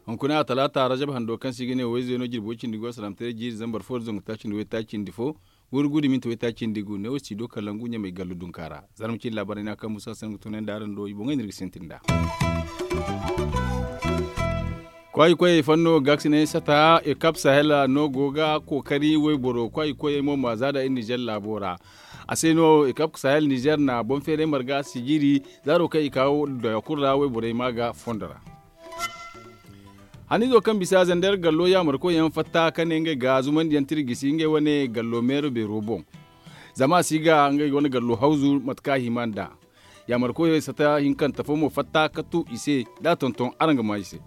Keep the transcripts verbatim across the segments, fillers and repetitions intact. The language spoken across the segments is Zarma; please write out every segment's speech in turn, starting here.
Hunkuna a talaata rajab hando kaŋ se i ga ne wayze no jirbo cindi go salaamataray jiiri zambar fo da zangu taaci nda waytaaci nda fo, wurgu da minti waytaaci nda gu ne wo si do kalangu ɲamay gallu dunka ra. Zarma cindi laabaray no a kaŋ musa sangu tunay nda araŋ do i boŋey no iri ga sintin nd'a. Kwaayi koyey fanno gaakasinay sata ekap sahel no go ga kookari wayboro kwaayi koyey mo ma za da iri nizer laabo ra. A se no ekap sahel nizer na boŋ feeray marga sijiri zaaro kaŋ i ka doya kulu ra wayborey ma ga fondo ra. Haniizo kaŋ bisa zander gallo yaamarkoy yaŋ fatta ka ne ngey ga zumandiyaŋ tira gisi ngey wane gallo meero beero boŋ. Zama a si ga ngey wane gallo hawzu mate kaŋ a hima nd'a. Yaamarkoy sata hinkanta fo mo fatta ka tu i se da a tonton araŋ ga maa i se.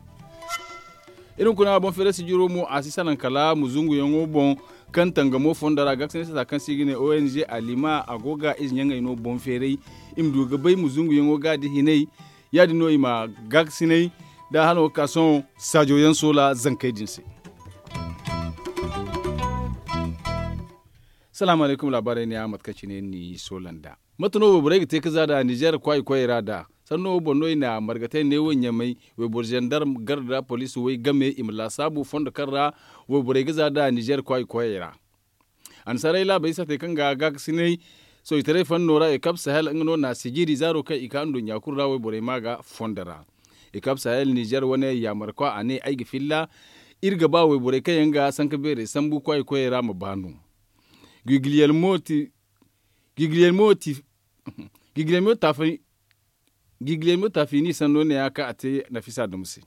Iri hunkuna boŋ feeray sijiro mo a si salaŋ kala muzunguyaŋo boŋ kaŋ tangamo fondo ra gaakasinay sata kaŋ se i ga ne ong alima a go ga ize ɲaŋey no boŋ feeray. I ma du ga bay muzunguyaŋo ga da hinay ya- din no i ma gaakasinay da hano ga ka sohõ saajo yaŋ soola zankey din se. Salaamu alaykum laabaarey ne a mate kaŋ cine ni soola nd'a. Mate no wayborey ga te ga za nd'a nizer kwaayi koyey ra nd'a sanno wo boŋ no i na margatey ne wo ɲamay wayboro zandarm garda poliisi way game i ma laasaabu fondo kaŋ ra wayborey ga za nd'a nizer kwaayi koyey ra. Annasaarey laabey saatey kaŋ ga gaakasinay soojitaray fanno ra ekap sahel nga no na sijiri zaaro kaŋ i ka nduɲɲa kulu ra wayborey ma ga fondo ra. Ekap sahel nizer wane yaamarkwa a ne ay ga filla iri ga ba wayborey kaŋ yaŋ ga sanka beerey sambu kwaayi koyey ra ma ba no. Gigiliyel mo ti gigiliyel mo taafay gigiliyel mo taafini sanno ne ya kaŋ a te nafisa duma se.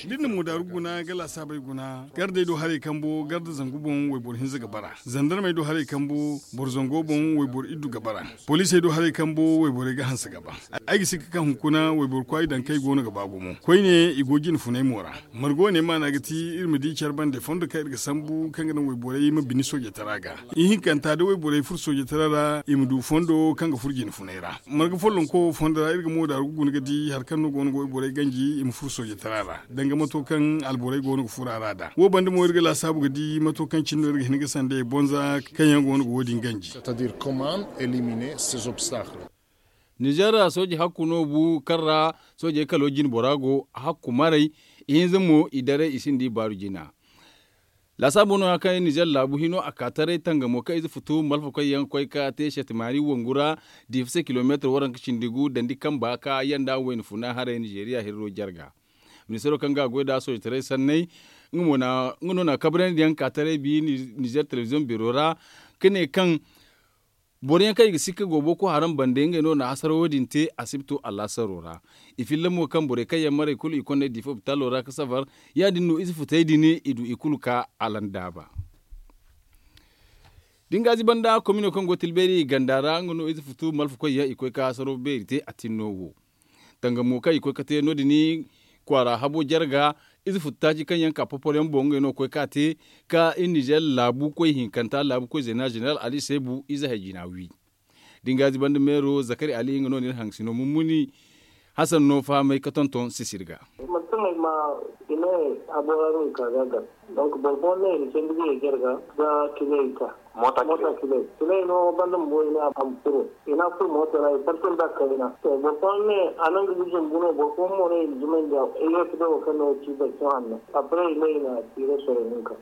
Da ni na moodaaru guna ga laasaabey guna gardey do haray kambo garda zangu boŋ wayboro hinza ga bara zandarmey do haray kambo boro zango boŋ wayboro iddu ga bara poliisey do haray kambo wayborey ga hanse ga ba. Ay ga sikka kaŋ hunkuna wayboro kwaayi daŋ kaŋ ay go no ga ba gumo koyne i go jine funay mo ra. Margo ne maana ga ti iri ma di care bande fondo kaŋ iri ga sambu kaŋ ga naŋ wayborey ma bini soojey tara ga. Ihinkanta da wayborey furo soojey tara ra i ma du fondo kaŋ ga furo jine funay ra. Marga follonko wo fondo ra iri ga moodaaru ga guna ga di hari kaŋ no go no ga wayborey ganji i ma furo soojey tara ra danga mato kaŋ alborey go no ga furo a ra nd'a wo banda mo iri ga laasaabu ga di mato kaŋ cine no iri ga hin ga sanda i bonza kaŋ yaŋ go no ga wo- din ganji. Nizer ra sooji hakku no bu kaŋ ra soojey kalo jine bora go hakku maray ihinza mo i daray i sinda i baaru jina. Laasaabu no ya kaŋ nizer laabu hino a ka taray tangamo kaŋ ize futu malfakoy yaŋ koy ka te setemaari wangu ra diifa se kilomeetir waranka cindi gu dandi kamba ka yanda wayna funa haray nizeriya hirro jarga. Ministaro kaŋ ga a goy nd'a soojitaray sanney nga no na kabrandi yaŋ ka taray bi nizer telebiziyoŋ beero ra ka ne kaŋ boro yaŋ kaŋ i ga sikka go boko haram bande ngey no na hasara wo- din te asibto alaasaro ra. I filla mo kaŋ borey kaŋ yaŋ maray kulu i kondey diifa opitalo ra ga safar ya- din no ize futey din i du i kulu ka alandaaba. Da ni gaazi banda komino kaŋ go tilbeeri ganda ra nga no ize futu malfakoy yaŋ i koy ka hasaro beeri te a tinno wo. Tangamo kaŋ i koy ka te no- din kwaara habo jarga ize futu taaci kaŋ yaŋ ka popor yaŋ boŋ ngey no ga koy ka te ka iri nizer laabu koy hinkanta laabu koy zeena zeneral ali seebu ize hay jina wi. Da ni gaazi banda meero zakari ali nga no na iri haŋ sino mummuni hasan no fahamay ka tonton sisir ga. Manti kaŋ ay ma i ne habo ra no i ka ga gar. Donk boro fooyaŋ ne i na candi ga ye jarga ga kile i ka moota kile. Kile no banda bumbo i ne a ma furo i ne a furo mooto ra i farti nda kayna. To boro fooyaŋ ne a naŋ ga ga zumbu no boro fooyaŋ mo ne i na zumandi a i ne ga ti boro kaŋ no ga ci boro fooyaŋ hanno. Après i ne i na tire soro hinka.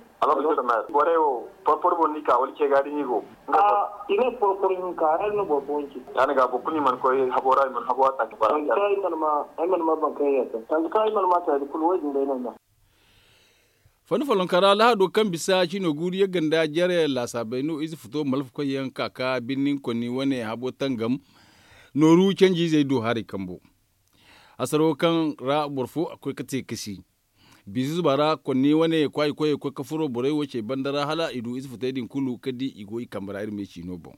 Borey wo porpor boŋ no i ka wala ce ga da ni go? I ne porpor hinka hari no boro fooyaŋ ci. Ya- din ga boro kulu i mana koy habo ra i mana habo a taaki bara. Ay mana ma ay mana ma baŋ kaŋ yaŋ yaŋ taŋ kaŋ ay mana ma taadi kulu wo- din day no ay ma. Fanni follonka ra lahado kaŋ bisa cino guuru yagga nda jare laasaabey no ize futo malfakoy yaŋ ka ka birnin konni wane habo tangam nooru canji izey do haray kambo. Hasaro kaŋ ra boro fo a koy ka te kasi biize zuba ra konni wane kwaayi koyey koy ka furo borey wo cey banda ra hala i du ize futey din kulu ka di i go i kambe ra iri me ciino boŋ.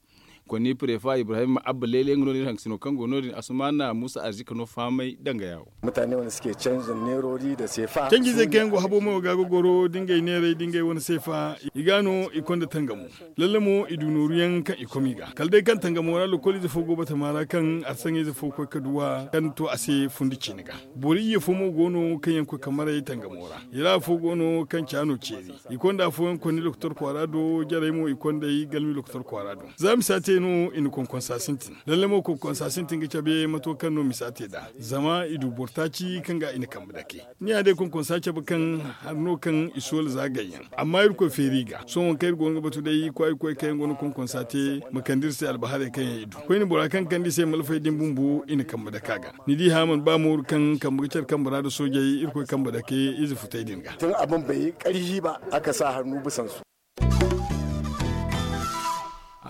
Konni prefa ibrahim abba leele nga no din haŋ sino kaŋ go no din asumana musa arzika no fahamay danga yawo. Mutane wanda suke canza nerori da sefa. Canjizey kaŋ yaŋ go habo mo ga ga goro da ngey neeray da ngey wane seefa i ga no i konda tangamo. Lalle mo i du nooru yaŋ kaŋ i kom i ga kala day kaŋ tangamo ra lokoliize fo go batama ra kaŋ arsaŋayze fo koy ga duw'a kaŋ to a se fundi ciine ga. Boro iyye fo mo go no kaŋ yaŋ koy ga maray tangamo ra. I ra afo go no kaŋ ca no ceeri. I konda afooyaŋ konni lokotor kwaara do jarey mo i kond'ey galmi lokotor kwaara do. Za misa te no i na konkonsa sintin lalle mo konkonsa sintin ga cabe mato kaŋ no misa te nd'a. Zama i du boro taaci kaŋ ga i na kambe dake. Ni ya day konkonsa cabe kaŋ hari no kaŋ i soola za gayyaŋ. Amma irkoy feeri i ga sohõ kaŋ iri go no ga batu day kwaayi koy kaŋ yaŋ go no konkonsa te ma kande iri se albaharey kaŋ yaŋ i du koyne bora kaŋ kande i se malfey din bumbo i na kambe dake a ga. Ni di haya mana ba mooru kaŋ kambe ga care kambe ra nda soojey irkoy kambe dake ize futey din ga. Tun a bambay karhi ba a kasa hannu bisansu.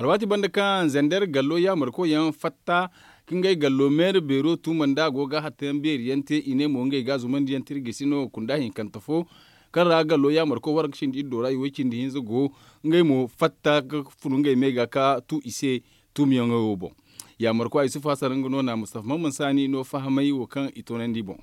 Alwaati banda kaŋ zander gallo yaamarkoyaŋ fatta ka ngey gallo meera beero tuuma nda a go ga hattayaŋ beeri yaŋ te i ne mo ngey ga a zumandi yaŋ tirgisi no kunda hinkante fo kaŋ ra gallo yaamarko warga cindi iddo ra i way cindi hinza go ngey mo fatta ga funu ngey me ga ka tu i se. Tuumiyaŋo wo boŋ yaamarko a yusufu hasan nga no na mustafa mamman saani no fahamay wo kaŋ i toonandi boŋ.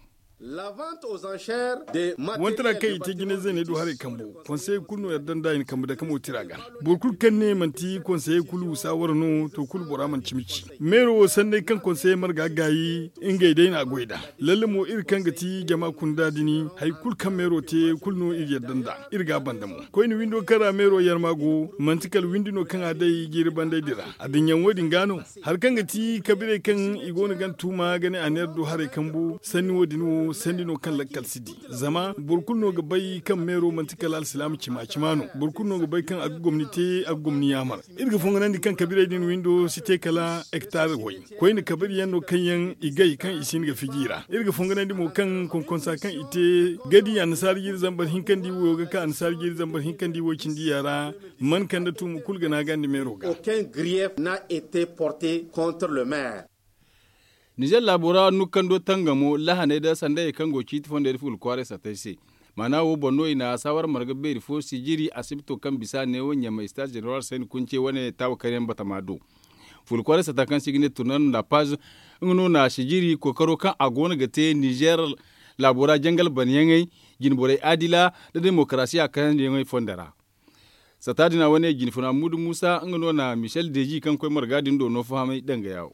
Wantara kaŋ i te jinay zeeney do haray kambo konseye kulu no yadda nd'a i na kambe dake mo tira ga. Boro kulu kaŋ ne manti konseye kulu saawara no to kulu bora mana cimi ci. Meero wo sanney kaŋ konseye marga gaayi ngey day no a goy nd'a. Lalle mo iri kaŋ ga ti jama kunda din hari kulu kaŋ meero te kulu no iri yadda nd'a. Iri ga a banda mo koyne windo kaŋ ra meero yarma go manti kala windi no kaŋ a day jiiri bandey din ra. Adduɲɲaŋo din ga no hari kaŋ ga ti kabirey kaŋ i go no ga ni tuuma ga ne a neera du haray kambu sanni wo- din wo sanni no kaŋ lakkal si di. Zama boro kulu no ga bay kaŋ meero manti kala alsilaama cima cima no. Boro kulu no ga bay kaŋ a ga gomni te a ga gomni yaamar. Iri ga fonganandi kaŋ kabirey din windo si te kala hektar way. Koyne kabiri yaŋ no kaŋ yaŋ i gay kaŋ i si hin ga fiji i ra iri ga fonganandi mo kaŋ konkonsa kaŋ i te ga di annasaara jiiri zambar hinkandi wo ga ka annasaara jiiri zambar hinkandi wo cindi ya ra. Man kande tuumu kulu ga naagandi meero ga. Nizer laabo ra nukkando tangamo lahaney da sandayey kaŋ go ciiti fondey da fuula kwaaray sattey se. Maana wo boŋ no i na saawara marga beeri fo sijiri asibito kaŋ bisa neewo ɲamay star jeneral sayni kunce wane taawa karyaŋ batama do. Fuula kwaaray satta kaŋ se i ga ne turnan la paz nga no na sijiri kookaro kaŋ a go no ga te nizer laabo ra jangal banyaŋey jinborey adila nda demokarasiya kayandiyaŋey fonda ra. Satta din a wane jinfuna mudu musa nga no na michel deji kaŋ koy marga din do no fahamay danga yawo.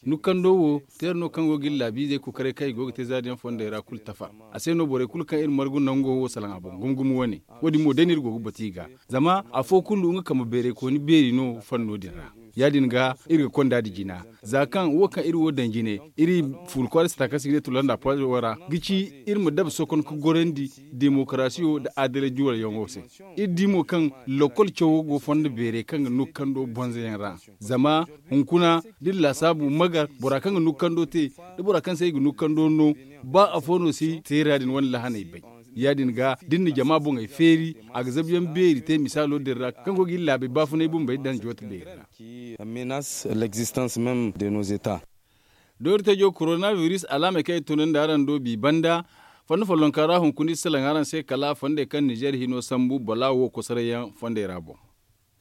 Nukkando wo teera no kaŋ go ga iri laabiizey kokaray kaŋ i go ga te zaari yaŋ fondey ra kulu tafa. A se no borey kulu kaŋ iri margu nango wo salaŋ a boŋ gumo gumo wane. Wo- din mo day no iri go ga batu i ga zama afo kulu nga kambe beerey kooni beeri no fanno din ra. Ya- din ga iri ga konda nda jina za kaŋ wo kaŋ iri wo daŋ jine iri fuula kwaara sata kaŋ se i ga ne tulanda paazo ra ga ci iri ma dabe sokon ga gorandi demokarasiyo nda adalay juwalyaŋo se. Iri di mo kaŋ lokol cawo go fondo beerey kaŋ ga nukkando bonzoyaŋ ra. Zama hunkuna da iri laasaabu magar bora kaŋ ga nukkando te da bora kaŋ se i ga nukkando no ba afo no si teera din wane lahaney bay. Ya- din ga da iri na jama boŋey feeri a ga zabuyaŋ beeri te misaalo din ra kaŋ go ga iri laabey baafunay bumbey daŋ joote beeri ra. Menace l'existence même de nos états. Doori tajo korona biris alaamey kaŋ i tunandi araŋ do bi banda fondo follonka ra hunkuna iri salaŋ araŋ se kala fondey kaŋ nizer hino sambu bala wo kosoray yaŋ fondey ra boŋ.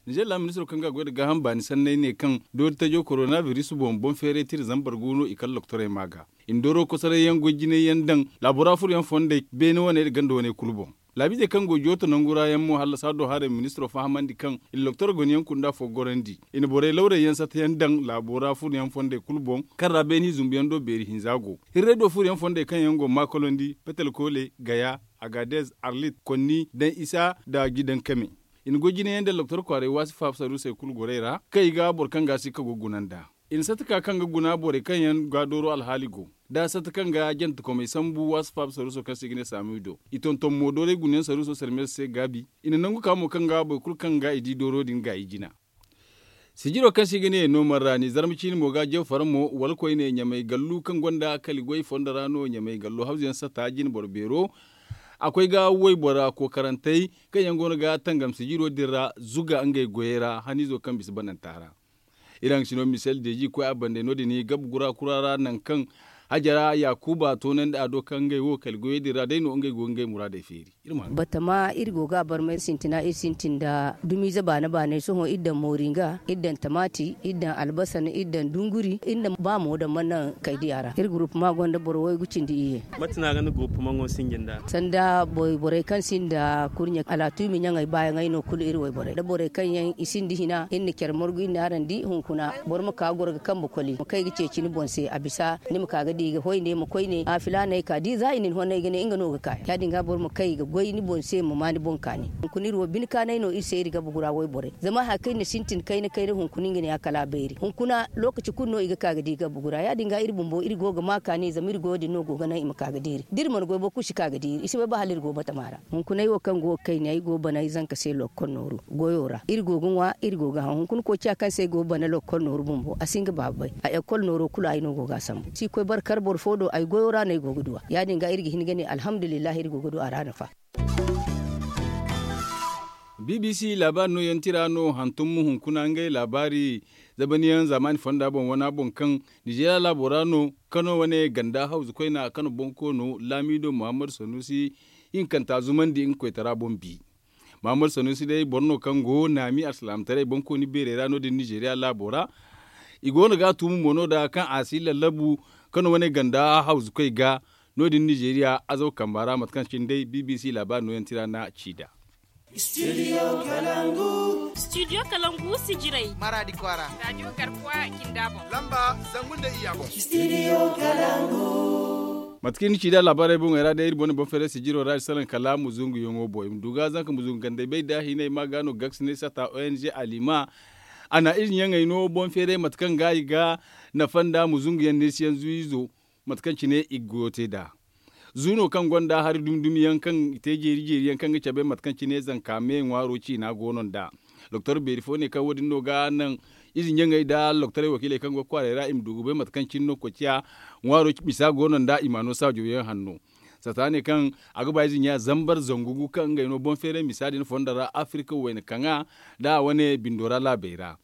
Nizer laami ministiro kaŋ ga a goy nda gaaham baani sanney ne kaŋ doori tajo korona biris boŋ boŋ feeray tira zambar gu no i kala lokotorey ma ga i na dooro kosoray yaŋ goy jinay yaŋ daŋ laabo ra furo yaŋ fondey beene wane nda ganda wane kulu boŋ. Laabiizey kaŋ go jooto nangu ra yaŋ mo hallasa do haray ministiro fahamandi kaŋ i na lokotor gone yaŋ kunda fo gorandi i na borey lawrey yaŋ sata yaŋ daŋ laabo ra furo yaŋ fondey kulu boŋ kaŋ ra beene i zumbu yaŋ do beeri hinza go. Hirray do furo yaŋ fondey kaŋ yaŋ go maakolondi petel koole gaya agadez arlit konni daŋ isa nda jidaŋ kame. I na goy jine yaŋ daŋ lokotor kwaaray waasi faaba saruusey kulu gorey ra kaŋ i ga boro kaŋ ga a si ka go guna nd'a. I na satta ka kaŋ ga guna borey kaŋ yaŋ ga dooro alhaali go da satta kaŋ ga jantekomey sambu waasi faaba saruuso kaŋ se i ga ne saamiyo do. I tonton mo doorey gunayaŋ saruuso sarmeese se gaabi. I na nangu ka mo kaŋ ga boro kulu kaŋ ga i di dooro din gaayi jina. Sijiro kaŋ se i ga ne noomar ra ni zarma ciine mo ga jaw fara mo wala koyne ɲamay gallu kaŋ gonda kali goy fondo ra no ɲamay gallu hawzu yaŋ satta jine boro beero. A koy ga waybora kookarantey kaŋ yaŋ go no ga tangam sijiro din ra zuga ngey goyey ra haniizo kaŋ bisa bananta ra. Iri haŋ sino misel deeji koy a bande no- din gabu gura kura ra nangu kaŋ Hajara yaakuba toonandi a do kaŋ ngey wo kala goyey din ra day no ngey go ga ngey muraadey feeri. Batama iri go ga a barmay sintina iri sintin nda dumiize baana baanay sohõ iri daŋ mooringa, iri daŋ tamaati, iri daŋ albasan, iri daŋ dunguri, iri na ba mo daŋ mana naŋ kay diya ra. Iri gurupuma gonda boro waygu cindi iyye. Mate no a ga ni gurupuma ŋo sinji nda? Sanda borey kaŋ sinda kurɲe alaatu i ma ɲaŋey baayaŋey no kulu iri wayborey da borey kaŋ yaŋ i sinda hina iri na care margu iri na araŋ di hunkuna. Boro ma ka ga goro ga kambe koli ma kay ga ceeci ni boŋ se a bisa ni ma ka ga di ga hoy ne ma koy ne a filaaney ka di za i na ni honay ga ne nga no ga ka ya- din ga boro ma kay ga goy ni boŋ se ma ma ni boŋ kaani. Hunkuna iri wo bine kaanay no iri se iri ga bugura wayborey zama hari kaŋ iri na sintin kayna kayna hunkuna nga ne a kala a bayri hunkuna lookaci kulu no i ga ka ga di ga bugura ya- din ga iri bumbo iri go ga ma kaani zama iri goyo din no go ga naŋ i ma ka ga diiri da iri mana goy boro kulu si ka ga diiri i si bay ba hala iri go batama ra. Hunkunay wo kaŋ go ga kayna ay go ga bana ay zanka se lokkol nooru goyo ra iri go ga ŋwa iri go ga haŋ hunkuna koociya kaŋ se ay go ga bana lokkol nooru bumbo a si nga baaba bay a ekol nooro kulu ay no go ga a sambu si koy bare kar boro fo do ay goyo ra no ay go ga du a ya- din ga iri ga hin ga ne alhamdulillahi iri go ga du a ra nafa. B B C laabaari nooyaŋ tira no hantum hunkuna ngey laabaari zabaniyaŋ zaamaani fonda boŋ wana boŋ kaŋ nizeeriya laabo ra no kano wane ganda hawzu koyna kano boŋ koono laamiido muhammad sanuusi hinkanta zumandi nga koytara boŋ bi. Muhammad sanuusi day boro no kaŋ go naami alsilaamataray boŋ kooni beerey ra no- din nizeeriya laabo ra. I go no ga a tuumu mo no- da kaŋ a si lallabu kano wane ganda hawzu koy ga no- din nizeeriya azaw kamba ra mate kaŋ cine day b b c laabaari nooyaŋ tira na ci nd'a. Studio kalangu sijirey maradi kwaara radio garkuwa kinda boŋ lamba zangu nda iyya boŋ. Mate kaŋ ni ci nd'a laabaarey boŋey ra day iri boŋ na boŋ feeray sijiro ra iri salaŋ kala muzungu yaŋo boŋ i ma du ga zanka muzungu gandey bay da hinay ma ga no gaksinay sata o n g alima. A na ize ɲaŋey no boŋ feeray mate kaŋ ga i ga nafa nda muzungu yaŋ neesi yaŋ zuwizo. Mate kaŋ cine i ga goyo te nd'a zu no kaŋ gonda hari dumi dumi yaŋ kaŋ i te jeeri jeeri yaŋ kaŋ ga cabe mate kaŋ cine zanka me ŋwaaro ciina go no nd'a. Doktor beeri fo ne kaŋ wo- din no ga naŋ ize ɲaŋey nda doktorey wakiiley kaŋ go ga kwaaray ra i ma du ga bay mate kaŋ cine no koociya ŋwaaro misa go no nd'a i ma a no saajo yaŋ hanno. Sata ne kaŋ a ga ba ize ɲa zambar zangu gu kaŋ ngey no boŋ feeray misa din fondo ra afirka wayna kaŋa nda a wane bindo ra laabey ra.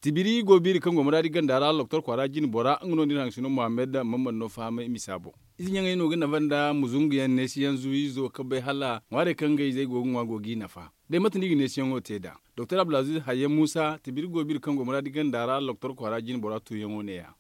Tibiri go biiri kaŋ go muraadi ganda ra doktor kwaara jine bora nga no nda iri haŋ sino muhammad mamman no fahamay misa boŋ. Ize ɲaŋey no ga nafa nda muzungu yaŋ neesi yaŋ zuwiizo ka bay hala ŋwaarey kaŋ ngey izey go ga ŋwa go g'i nafa. Day mate no i ga neesiyaŋo te nd'a doktor abdulaziz hayyan muusa tibiri go biiri kaŋ go muraadi ganda ra doktor kwaara jine bora tuuyaŋo ne- ya.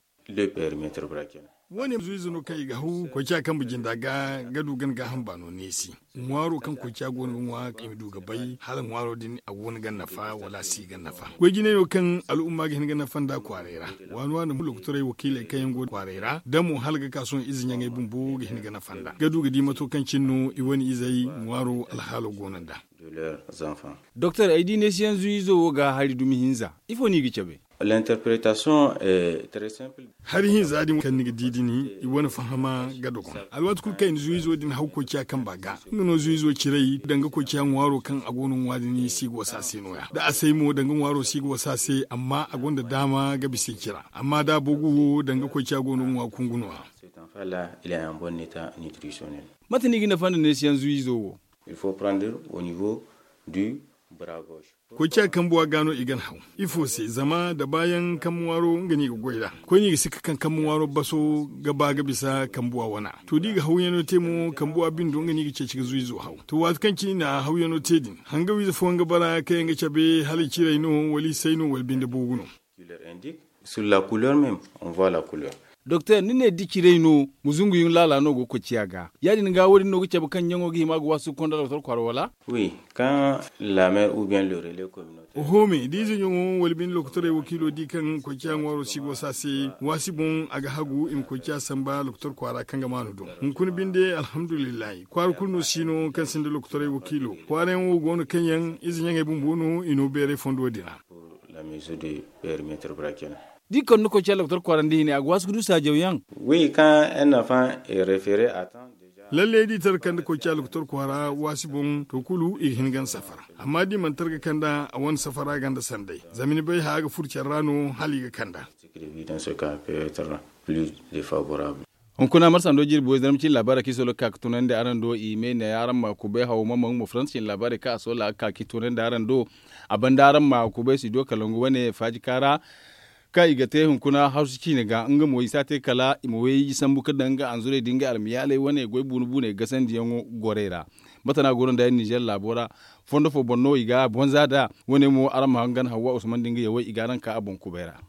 Wo- ne zuwiizo no kaŋ i ga haw koociya kambe jinda ga ga du gana gaaham baano neesi. Ŋwaaro kaŋ koociya go no ga ŋwa i ma du ga bay hala ŋwaaro din a go no ga nafa wala a si ga nafa goy jinay no kaŋ al'umma ga hin ga nafa nda kwaaray ra. Waani waani mo lokotorey wakiiley kaŋ yaŋ go kwaaray ra da mo hala ga ka sohõ ize ɲaŋey bumbo ga hin ga nafa nda ga du ga di mato kaŋ cine no i wane izey ŋwaaro alhaalo go no nda. Doktor ay di neesiyaŋ zuwiizo wo ga hari dumi hinza ifo no i ga cabe? Hari hinza din kaŋ ni ga di din i wane fahama ga dogon alwaati kulu kaŋ i na zuwiizo din haw koociya kamba ga. Nga no zuwiizo ciray danga koociya ŋwaaro kaŋ a go no ŋwa din si ga wasa se no- ya da a say mo danga ŋwaaro si ga wasa se amma a gonda daama ga bisa i cira amma da a boogu wo danga koociya go no ga ŋwa kungu no- ya. Mate no i ga nafa nda neesiyaŋ zuwiizo wo? Koociya kambuwa ga no i ga ni haw. Ifo se zama da baayaŋ kambe ŋwaaro nga no i ga goy nd'a koyne i ga sikka kaŋ kambe ŋwaaro baso ga ba ga bisa kambuwa wana. To da i ga hawyaŋo te mo kambuwa bindo nga no i ga ceeci ga zuwiizo haw. To waati kaŋ cine i na hawyaŋo te din hangawiize fooyaŋ ga bara kaŋ yaŋ ga cabe hala i ciray no wala i say no wala binde boogu no. Doktor ni ne da ciray no muzunguyaŋ laala no go ga koociya ga ya- din ga wo- din no ga cabe kaŋ ɲaŋo ga hima ga waasu ga konda doktor kwaara wala? Oho me da ize ɲaŋo wala binde lokotorey wakiilo di kaŋ koociya ŋwaaro si go se a se waasi boŋ a ga hagu i ma koociya samba lokotor kwaara kaŋ ga maanu do. Hunkuna binde alhamdulillahi kwaara kulu no si no kaŋ sinda lokotorey wakiilo kwaarayaŋ wo go no kaŋ yaŋ ize ɲaŋey bumbo no i no beeray fondo din ra. Da i kande koociya doktor kwaara nda hine a ga waasu ga du saajawyaŋ? Lalle da i tara kande koociya doktor kwaara waasi boŋ to kulu i ga hin ga ni safara. Amma da i mana tara ga kande a wane safara ganda sanday zama ni bay haya ga furo care ra no hala i ga kande a. Hunkuna marsa ndo jirbi wayzarma cine laabaara kaŋ i solo ga ka ga tunandi araŋ do i me ne araŋ ma kubay haw mamma nga mo faransa cine laabaarey kaŋ a solo a ga ka ga tunandi araŋ do. A banda araŋ ma kubay studio kalangu wane faajika ra. Kaŋ i ga te hunkuna hawsu ciine ga nga mo i si a te kala i ma wayye sambu ga daŋ nga anzurey da ngey almayaaley wane goy buune buuney gasandiyaŋo gorey ra. Mate no a go no nda ay nizeer laabo ra, fondo fo boŋ no i ga a bonza nd'a. Wane mo araŋ ma hangan hawwa usman da nga yawey i ga araŋ ka a boŋ kubay ra.